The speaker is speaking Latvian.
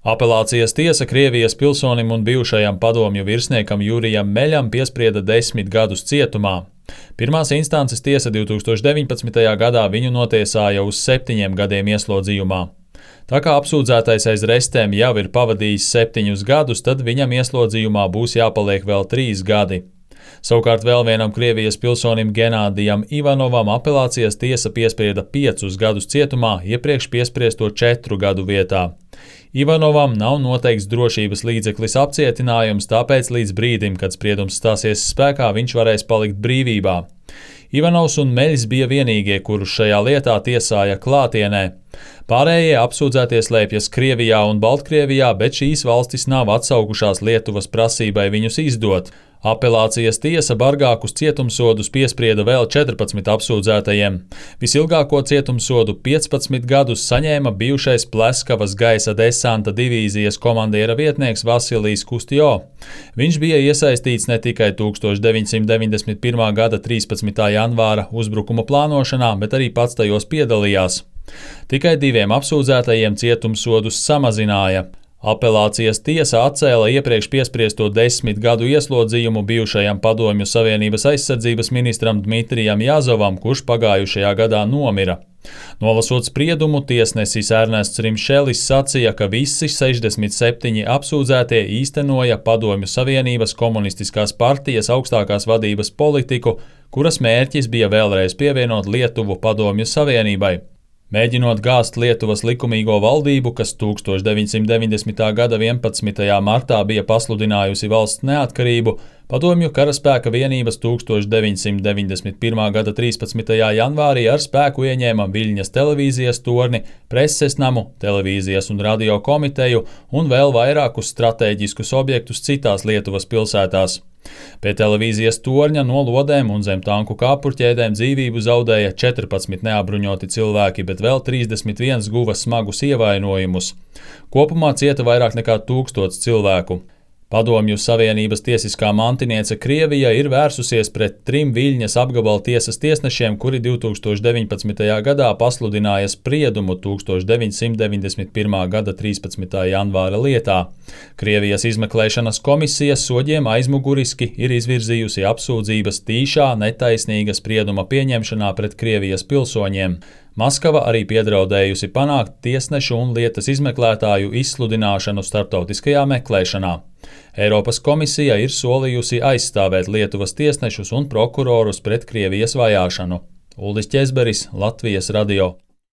Apelācijas tiesa Krievijas pilsonim un bijušajam padomju virsniekam Jurijam Meļam piesprieda 10 gadus cietumā. Pirmās instances tiesa 2019. gadā viņu notiesāja uz 7 gadiem ieslodzījumā. Tā kā apsūdzētais aiz restēm jau ir pavadījis 7 gadus, tad viņam ieslodzījumā būs jāpaliek vēl 3 gadi. Savukārt vēl vienam Krievijas pilsonim Genādijam Ivanovam apelācijas tiesa piesprieda 5 gadus cietumā, iepriekš piespriesto 4 gadu vietā. Ivanovam nav noteikts drošības līdzeklis apcietinājums, tāpēc līdz brīdim, kad spriedums stāsies spēkā, viņš varēs palikt brīvībā. Ivanovs un Meļs bija vienīgie, kurus šajā lietā tiesāja klātienē. Pārējie apsūdzētie slēpjas Krievijā un Baltkrievijā, bet šīs valstis nav atsaukušās Lietuvas prasībai viņus izdot. Apelācijas tiesa bargākus cietumsodus piesprieda vēl 14 apsūdzētajiem. Visilgāko cietumsodu 15 gadus saņēma bijušais Pleskavas gaisa desanta divīzijas komandiera vietnieks Vasilijs Kustjo. Viņš bija iesaistīts ne tikai 1991. gada 13. janvāra uzbrukuma plānošanā, bet arī pats tajos piedalījās. Tikai 2 apsūdzētajiem cietumsodus samazināja. Apelācijas tiesa atcēla iepriekš piespriesto 10 gadu ieslodzījumu bijušajam Padomju Savienības aizsardzības ministram Dmitrijam Jazovam, kurš pagājušajā gadā nomira. Nolasot spriedumu, tiesnesis Ernests Rimšelis sacīja, ka visi 67 apsūdzētie īstenoja Padomju Savienības komunistiskās partijas augstākās vadības politiku, kuras mērķis bija vēlreiz pievienot Lietuvu Padomju Savienībai. Mēģinot gāzt Lietuvas likumīgo valdību, kas 1990. gada 11. martā bija pasludinājusi valsts neatkarību, padomju karaspēka vienības 1991. gada 13. janvārī ar spēku ieņēma Viļņas televīzijas torni, preses namu, televīzijas un radio komiteju un vēl vairākus stratēģiskus objektus citās Lietuvas pilsētās. Pie televīzijas torņa no lodēm un zem tanku kāpurķēdēm dzīvību zaudēja 14 neapbruņoti cilvēki, bet vēl 31 guva smagus ievainojumus. Kopumā cieta vairāk nekā 1000 cilvēku. Padomju Savienības tiesiskā mantiniece Krievija ir vērsusies pret 3 Viļņas apgabala tiesas tiesnešiem, kuri 2019. gadā pasludināja spriedumu 1991. gada 13. janvāra lietā. Krievijas izmeklēšanas komisija soģiem aizmuguriski ir izvirzījusi apsūdzības tīšā, netaisnīga sprieduma pieņemšanā pret Krievijas pilsoņiem. Maskava arī piedraudējusi panākt tiesnešu un lietas izmeklētāju izsludināšanu starptautiskajā meklēšanā. Eiropas komisija ir solījusi aizstāvēt Lietuvas tiesnešus un prokurorus pret Krievijas vajāšanu. Uldis Ķezberis, Latvijas radio.